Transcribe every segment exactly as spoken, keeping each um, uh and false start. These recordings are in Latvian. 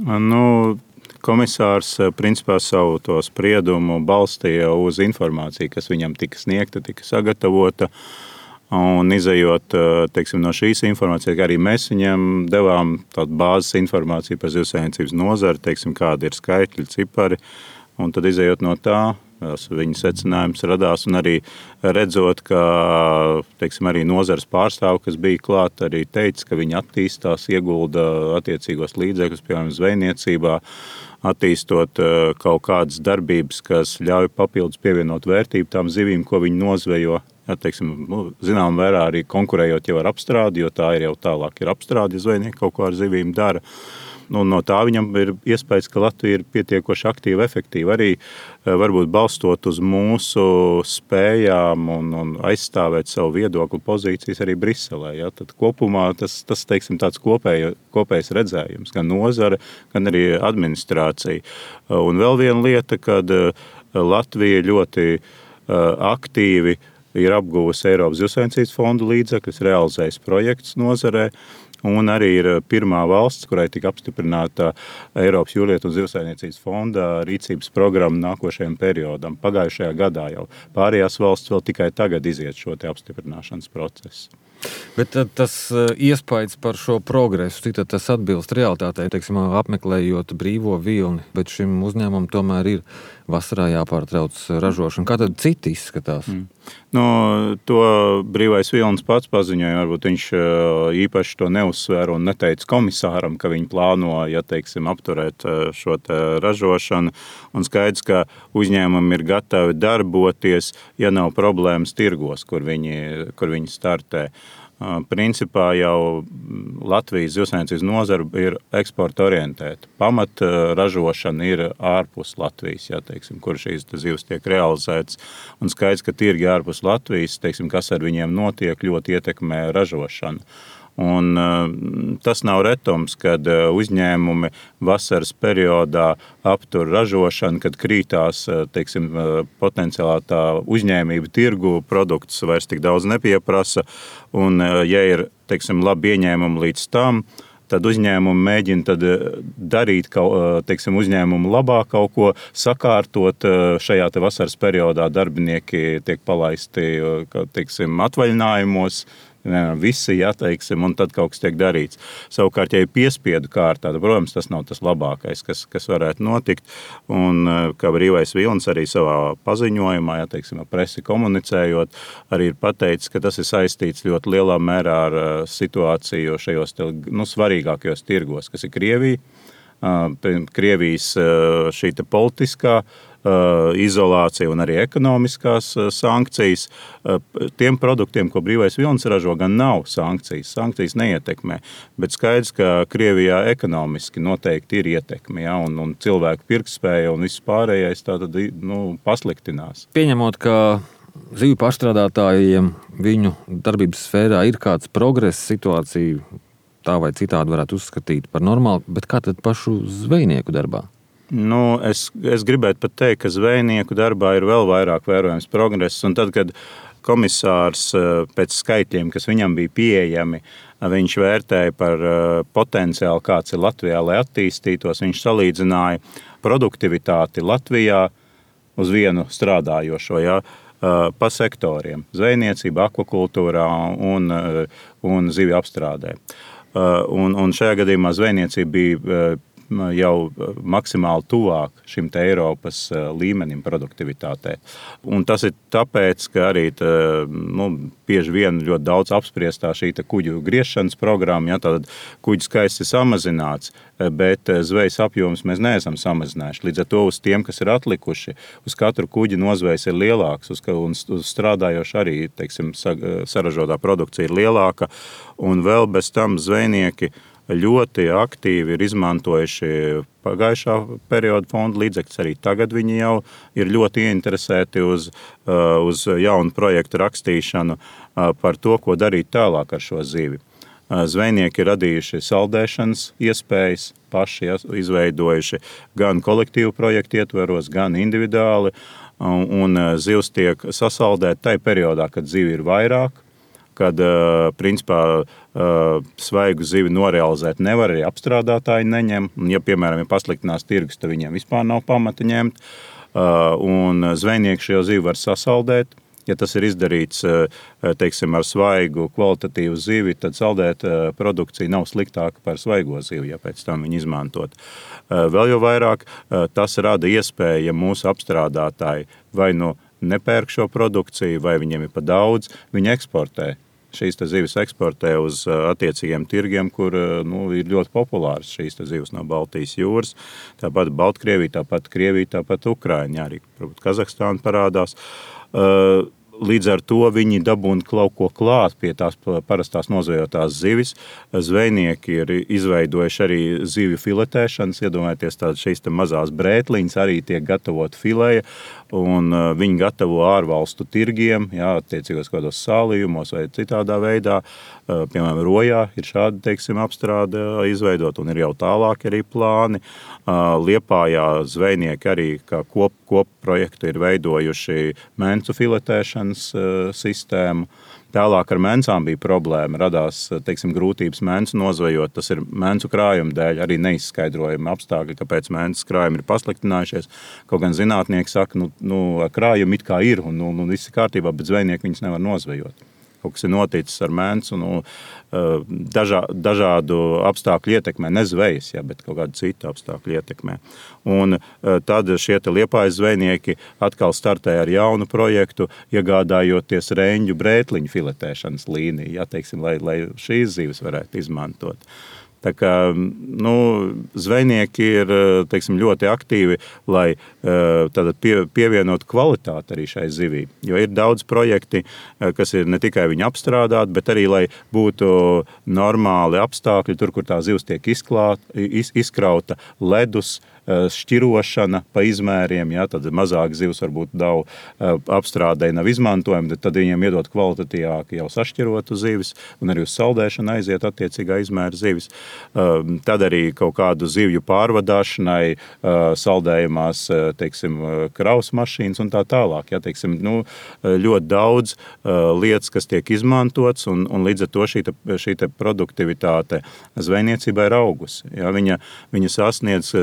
Nu, komisārs principā savu to spriedumu balstīja uz informāciju, kas viņam tika sniegta, tika sagatavota. Un izejot teiksim, no šīs informācijas, arī mēs viņam devām tādu bāzes informāciju par zivsaimniecības nozari, teiksim, kādi ir skaitļi, cipari. Un tad izejot no tā, viņa secinājums radās, un arī redzot, ka teiksim, arī nozares pārstāvi, kas bija klāt, arī teica, ka viņi attīstās, iegulda attiecīgos līdzekļus, piemēram, zvejniecībā, attīstot kaut kādas darbības, kas ļauj papildus pievienot vērtību tām zivīm, ko viņi nozvejo. Ja, teiksim, nu, zinām, vērā arī konkurējot jau ar apstrādi, jo tā ir jau tālāk ir apstrādi, ja zvejnieki kaut ko ar zivīm dara. Nu, no tā viņam ir iespējas, ka Latvija ir pietiekoši aktīva, efektīva. Arī varbūt balstot uz mūsu spējām un, un aizstāvēt savu viedokli pozīcijas arī Briselē. Ja? Tad kopumā tas, tas teiksim, tāds kopēj, kopējs redzējums, gan nozare, gan arī administrācija. Un vēl viena lieta, kad Latvija ļoti aktīvi ir apguvusi Eiropas zivsaimniecības fondu līdzekļus, realizējis projekts nozarē, un arī ir pirmā valsts, kurai tika apstiprināta Eiropas jūrlietu un zivsaimniecības fonda rīcības programma nākošajam periodam. Pagājušajā gadā jau pārējās valsts vēl tikai tagad iziet šo te apstiprināšanas procesu. Bet tas iespējas par šo progresu, cik tas atbilst realitātei, teiksim, apmeklējot brīvo vilni, bet šim uzņēmumam tomēr ir vasarā jāpārtrauc ražošana. Kā tad citi izskatās? Mm. No, to brīvais vilnis pats paziņoja, varbūt viņš īpaši to neuzsvēra un neteica komisāram, ka viņi plāno, ja teiksim, apturēt šo te ražošanu. Un skaidrs, ka uzņēmumi ir gatavi darboties, ja nav problēmas tirgos, kur viņi, kur viņi startē. Principā jau Latvijas zivsaimniecības nozara ir eksporta orientēta. Pamat ražošana ir ārpus Latvijas, ja, teiksim, kur šīs zivs tiek realizētas. Un skaidrs, ka tirgi ārpus Latvijas, teiksim, kas ar viņiem notiek, ļoti ietekmē ražošanu. Un tas nav retums, kad uzņēmumi vasaras periodā aptur ražošanu, kad krītās, teiksim, potenciālā tā uzņēmība tirgu, produktus vairs tik daudz nepieprasa. Un, ja ir, teiksim, labi ieņēmumi līdz tam, tad uzņēmumi mēģina tad darīt kaut, teiksim, uzņēmumu labā kaut ko, sakārtot šajā te vasaras periodā darbinieki tiek palaisti, teiksim, atvaļinājumos, visi, ja, teiksim, un tad kaut kas tiek darīts. Savukārt, ja ir piespiedu kārtā, tad, protams, tas nav tas labākais, kas, kas varētu notikt. Un kā brīvais vilnis arī savā paziņojumā, ja, teiksim, presi komunicējot, arī ir pateicis, ka tas ir saistīts ļoti lielā mērā ar situāciju šajos nu, svarīgākajos tirgos, kas ir Krievija. Krievijas šī te politiskā izolācija un arī ekonomiskās sankcijas. Tiem produktiem, ko brīvais vilnis ražo, gan nav sankcijas. Sankcijas neietekmē, bet skaidrs, ka Krievijā ekonomiski noteikti ir ietekme, ja, un, un cilvēku pirktspēja un viss pārējais tātad, nu, pasliktinās. Pieņemot, ka zivju pārstrādātājiem viņu darbības sfērā ir kāds progress, situācija tā vai citādi varētu uzskatīt par normālu, bet kā tad pašu zvejnieku darbā? Nu, es, es gribētu pat teikt, ka zvejnieku darbā ir vēl vairāk vērojams progress, un tad, kad komisārs pēc skaitļiem, kas viņam bija pieejami, viņš vērtēja par potenciālu, kāds ir Latvijā, lai attīstītos, viņš salīdzināja produktivitāti Latvijā uz vienu strādājošo, ja, pa sektoriem, zvejniecība, akvakultūrā un, un zivju apstrādē. Un, un šajā gadījumā zvejniecība bija jau maksimāli tuvāk šim te Eiropas līmenim produktivitātē. Un tas ir tāpēc, ka arī tā, nu, bieži vien ļoti daudz apspriestā šī te kuģu griešanas programma, ja, tad kuģu skaits ir samazināts, bet zvejas apjoms mēs neesam samazinājuši. Līdz ar to uz tiem, kas ir atlikuši, uz katru kuģi nozvejas ir lielāks, uz, un uz strādājoši arī, teiksim, saražotā produkcija ir lielāka, un vēl bez tam zvejnieki ļoti aktīvi ir izmantojuši pagājušā perioda fonda līdzekļus. Arī tagad viņi jau ir ļoti ieinteresēti uz, uz jaunu projektu rakstīšanu par to, ko darīt tālāk ar šo zivi. Zvejnieki ir radījuši saldēšanas iespējas, paši izveidojuši gan kolektīvu projektu ietveros, gan individuāli, un zivs tiek sasaldēta tajā periodā, kad zivi ir vairāk. kad principā svaigu zivi norealizēt nevar, arī apstrādātāji neņem. Ja, piemēram, ja pasliktinās tirgus, tad viņiem vispār nav pamata ņemt. Un zvejnieki šo zivi var sasaldēt. Ja tas ir izdarīts, teiksim, ar svaigu kvalitatīvu zivi, tad saldēt produkcija nav sliktāka par svaigo zivi, ja pēc tam viņu izmantot. Vēl jau vairāk tas rada iespēju, ja mūsu apstrādātāji vai nu nepērk šo produkciju, vai viņiem ir pa daudz, viņi eksportē. Šīs zivis eksportē uz attiecīgiem tirgiem, kur nu, ir ļoti populāras šīs zivis no Baltijas jūras. Tāpat Baltkrievija, tāpat Krievija, tāpat Ukraiņa, arī Kazahstāna parādās. Līdz ar to viņi dabūna kaut ko klāt pie tās parastās nozvejotās zivis. Zvejnieki ir izveidojuši arī zivju filetēšanas, iedomājieties tādas šīs mazās brētliņas, arī tiek gatavot fileja, un viņi gatavo ārvalstu tirgiem, jā, attiecīgos kādos sālījumos vai citādā veidā. Piemēram, Rojā ir šāda, teiksim, apstrāde izveidot, un ir jau tālāk arī plāni. Liepājā zvejnieki arī kā kop, kop projektu ir veidojuši mencu filetēšanas sistēmu. Tālāk ar mencām bija problēma, radās, teiksim, grūtības mencu nozvejot. Tas ir mencu krājuma dēļ, arī neizskaidrojami apstākļi, kāpēc mences krājumi ir pasliktinājušies. Kaut gan zinātnieki saka, nu, nu krājumi it kā ir, un nu, nu, viss ir kārtībā, bet zvejnieki viņus nevar nozvejot. Kaut kas ir noticis ar mencu, nu, dažā, dažādu apstākļu ietekmē, ne zvejas, ja, bet kaut kādu citu apstākļu ietekmē. Un tad šie Liepājas zvejnieki atkal startēja ar jaunu projektu, iegādājoties reņģu brētliņu filetēšanas līniju, ja, teiksim, lai, lai šīs zivis varētu izmantot. Tā kā, nu, zvejnieki ir, teiksim, ļoti aktīvi, lai pie, pievienotu kvalitāti arī šai zivī. Jo ir daudz projekti, kas ir ne tikai viņu apstrādāt, bet arī, lai būtu normāli apstākļi, tur, kur tā zivs tiek izklāt, iz, izkrauta ledus, šķirošana pa izmēriem, ja, tad mazāk zivs varbūt nav apstrādē, nav izmantojama, tad viņiem iedot kvalitatīvāk jau sašķirotu zivis, un arī uz saldēšanu aiziet attiecīgā izmēra zivis. Tad arī kaut kādu zivju pārvadāšanai saldējumās, teiksim, kraus mašīnas un tā tālāk. Ja, teiksim, nu, ļoti daudz lietas, kas tiek izmantots, un, un līdz ar to šī, te, šī te produktivitāte zvejniecībā ir augusi. Ja, viņa, viņa sasniedz,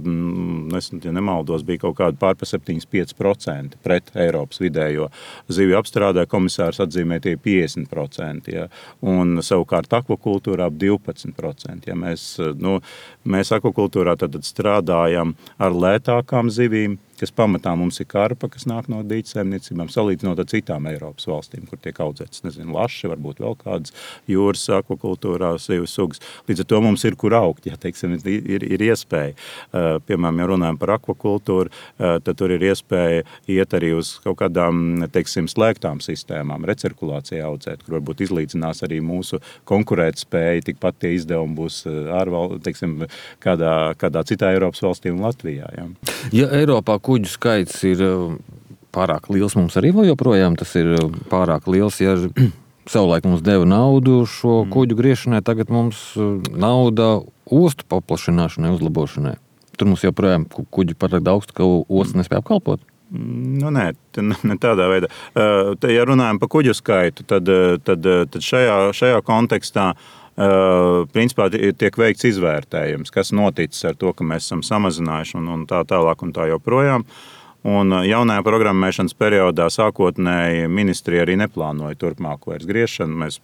es, ja nemaldos, bija kaut kāda pār pa septiņdesmit pieci procenti pret Eiropas vidējo. Zivju apstrādē komisārs atzīmē tie piecdesmit procenti, ja, un savukārt akvakultūrā divpadsmit procenti. Ja, mēs, nu, mēs akvakultūrā tad strādājam ar lētākām zivīm, kas pamatā mums ir karpa, kas nāk no dīķsaimniecībām, salīdzinot ar citām Eiropas valstīm, kur tiek audzētas, nezinu, laši, varbūt vēl kādas jūras akvakultūrā zivju sugas. Līdz ar to mums ir kur augt, ja, teiksim, ir, ir iespēja. Piemēram, ja runājam par akvakultūru, tad tur ir iespēja iet arī uz kaut kādām, teiksim, slēgtām sistēmām, recirkulācijā audzēt, kur varbūt izlīdzinās arī mūsu konkurētspēja, tikpat tie izdevumi būs ārval, teiksim, kādā, kādā citā Eiropas valstī un Latvijā. Ja, ja Eiropā kuģu skaits ir pārāk liels, mums arī vēl joprojām tas ir pārāk liels, ja savulaik mums deva naudu šo kuģu griešanai, tagad mums nauda ostu paplašināšanai, uzlabošanai. Tur mums joprojām kuģi pārāk daudz, ka ostas nespēja apkalpot. Nu, nē, ne tādā veidā. Te, ja runājam par kuģu skaitu, tad, tad, tad šajā, šajā kontekstā Uh, principā tiek veikts izvērtējums, kas noticis ar to, ka mēs esam samazinājuši un, un tā tālāk un tā joprojām. Un jaunajā programmēšanas periodā sākotnēji ministrija arī neplānoja turpmāko vairs griešanu. Mēs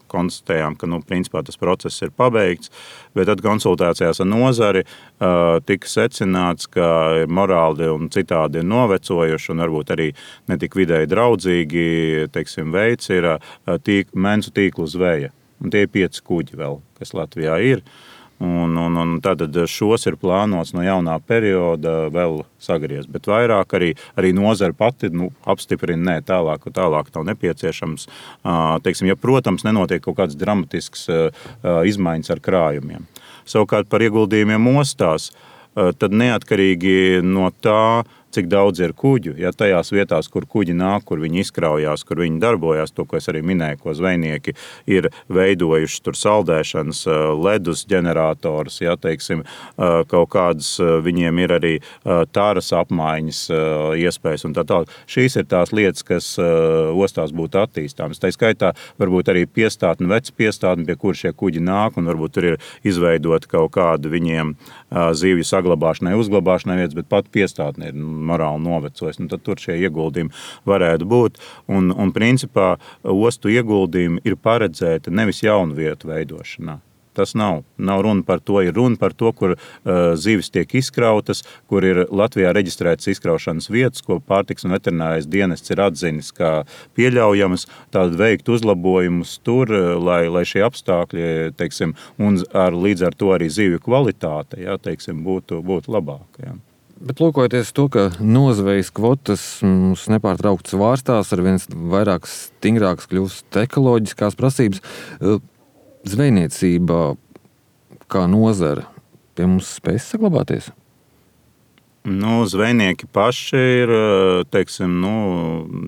konstatējām, ka nu, principā tas process ir pabeigts, bet tad konsultācijās ar nozari uh, tika secināts, ka morāli un citādi ir novecojuši un varbūt arī netik vidēji draudzīgi, teiksim, veids ir uh, tīk, mencu tīklu zveja. Un tie ir pieci kuģi vēl, kas Latvijā ir. Un, un, un tātad šos ir plānots no jaunā perioda vēl sagriezt. Bet vairāk arī, arī nozara pati nu, apstiprina, nē, tālāk, tālāk nav nepieciešams. Teiksim, ja, protams, nenotiek kaut kāds dramatisks izmaiņas ar krājumiem. Savukārt par ieguldījumiem ostās, tad neatkarīgi no tā, cik daudz ir kuģu. Ja tajās vietās, kur kuģi nāk, kur viņi izkraujās, kur viņi darbojās, to, ko es arī minēju, ko zvejnieki ir veidojuši tur saldēšanas, ledus ģenerators, ja, teiksim, kaut kādas viņiem ir arī tāras apmaiņas iespējas un tā tālāk. Šīs ir tās lietas, kas ostās būtu attīstāmas. Tā skaitā varbūt arī piestātni, veci piestātni, pie kur šie kuģi nāk, un varbūt tur ir izveidot kaut kādu viņiem zivju saglabāšanai, uzglabāšanai vietas, bet pat piestātni ir morāli novecojis. Nu, tad tur šie ieguldījumi varētu būt. Un, un principā ostu ieguldījumi ir paredzēti nevis jaunu vietu veidošanā. Tas nav. Nav runa par to. Ir runa par to, kur uh, zivis tiek izkrautas, kur ir Latvijā reģistrētas izkraušanas vietas, ko pārtiks un veterinārais dienests ir atzinis kā pieļaujamas, tādu veikt uzlabojumus tur, lai, lai šie apstākļi, teiksim, un ar, līdz ar to arī zivju kvalitāte, jā, teiksim, būtu, būtu labāka. Jā. Bet lūkojoties to, ka nozvejas kvotas mums nepārtraukti svārstās, ar viens vairāk stingrāks kļūst ekoloģiskās prasības, zvejniecība kā nozara pie mums spēs saglabāties? Nu, zvejnieki paši ir, teiksim, nu,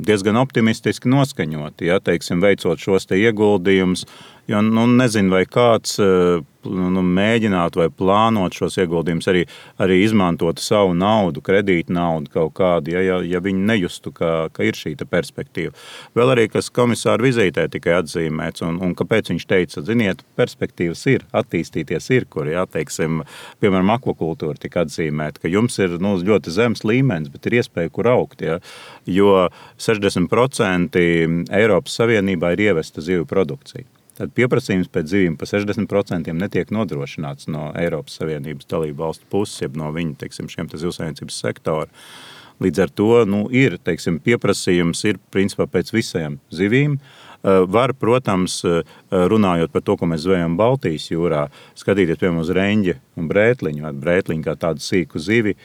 diezgan optimistiski noskaņoti, ja, teiksim, veicot šos te ieguldījumus, jo nu, nezinu, vai kāds nu, mēģinātu vai plānot šos ieguldījumus, arī, arī izmantot savu naudu, kredītu naudu kaut kādu, ja, ja, ja viņi nejustu, ka, ka ir šī perspektīva. Vēl arī, kas komisāra vizītē tikai atzīmēts, un, un kāpēc viņš teica, ziniet, perspektīvas ir, attīstīties ir, kur, ja, teiksim, piemēram, akvakultūra tika atzīmēta, ka jums ir nu, ļoti zems līmenis, bet ir iespēja, kur augt, ja, jo sešdesmit procenti Eiropas Savienībā ir ievesta zivju produkcija. Tad pieprasījums pēc zivīm pa sešdesmit procentiem netiek nodrošināts no Eiropas Savienības dalību valstu puses, jeb no viņu, teiksim, šiem te zivsaimniecības sektora. Līdz ar to nu, ir, teiksim, pieprasījums ir principā pēc visiem zivīm. Var, protams, runājot par to, ko mēs zvejam Baltijas jūrā, skatīties, piemēram, uz reņģi un brētliņu, vai brētliņu kā tādu sīku zivi.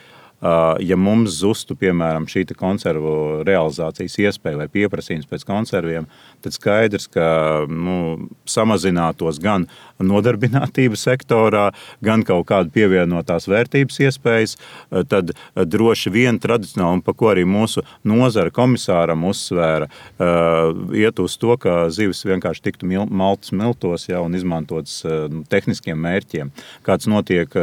Ja mums zustu, piemēram, šī konservu realizācijas iespēja vai pieprasījums pēc konserviem, tad skaidrs, ka nu, samazinātos gan nodarbinātības sektorā, gan kaut kāda pievienotās vērtības iespējas, tad droši vien tradicionāli, un pa ko arī mūsu nozara komisāram uzsvēra, iet uz to, ka zivis vienkārši tiktu maltas miltos, ja, un izmantotas tehniskiem mērķiem, kāds notiek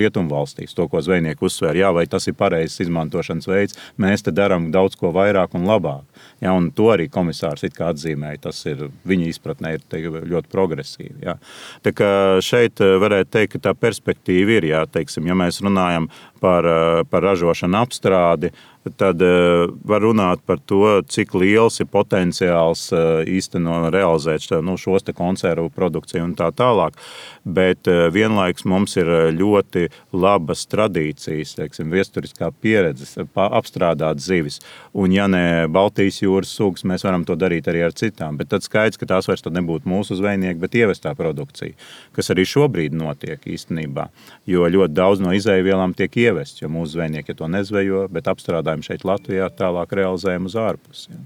rietumvalstīs, to, ko zvejnieki uzsvēra, jā, vai tas ir pareizs izmantošanas veids, mēs te darām daudz ko vairāk un labāk. Ja, un to arī komisārs it kā atzīmēja, tas ir viņa izpratnē ir te, ļoti progresīvi. Ja. Tā kā šeit varētu teikt, ka tā perspektīva ir, ja, teiksim, ja mēs runājam par, par ražošanu apstrādi, tad var runāt par to, cik liels ir potenciāls īstenot realizēt nu, šos te konservu produkciju un tā tālāk. Bet vienlaiks mums ir ļoti labas tradīcijas, teiksim, viesturiskā pieredze apstrādāt zivis. Un ja ne Baltijas jūras sugas, mēs varam to darīt arī ar citām. Bet tad skaidrs, ka tās vairs tad nebūtu mūsu zvejnieki, bet ievestā produkcija, kas arī šobrīd notiek īstenībā. Jo ļoti daudz no izēvielām tiek ievests, jo mūsu zvejnieki to nezvejo, bet apstrādājumi šeit Latvijā tālāk realizējam uz ārpusi. Ja.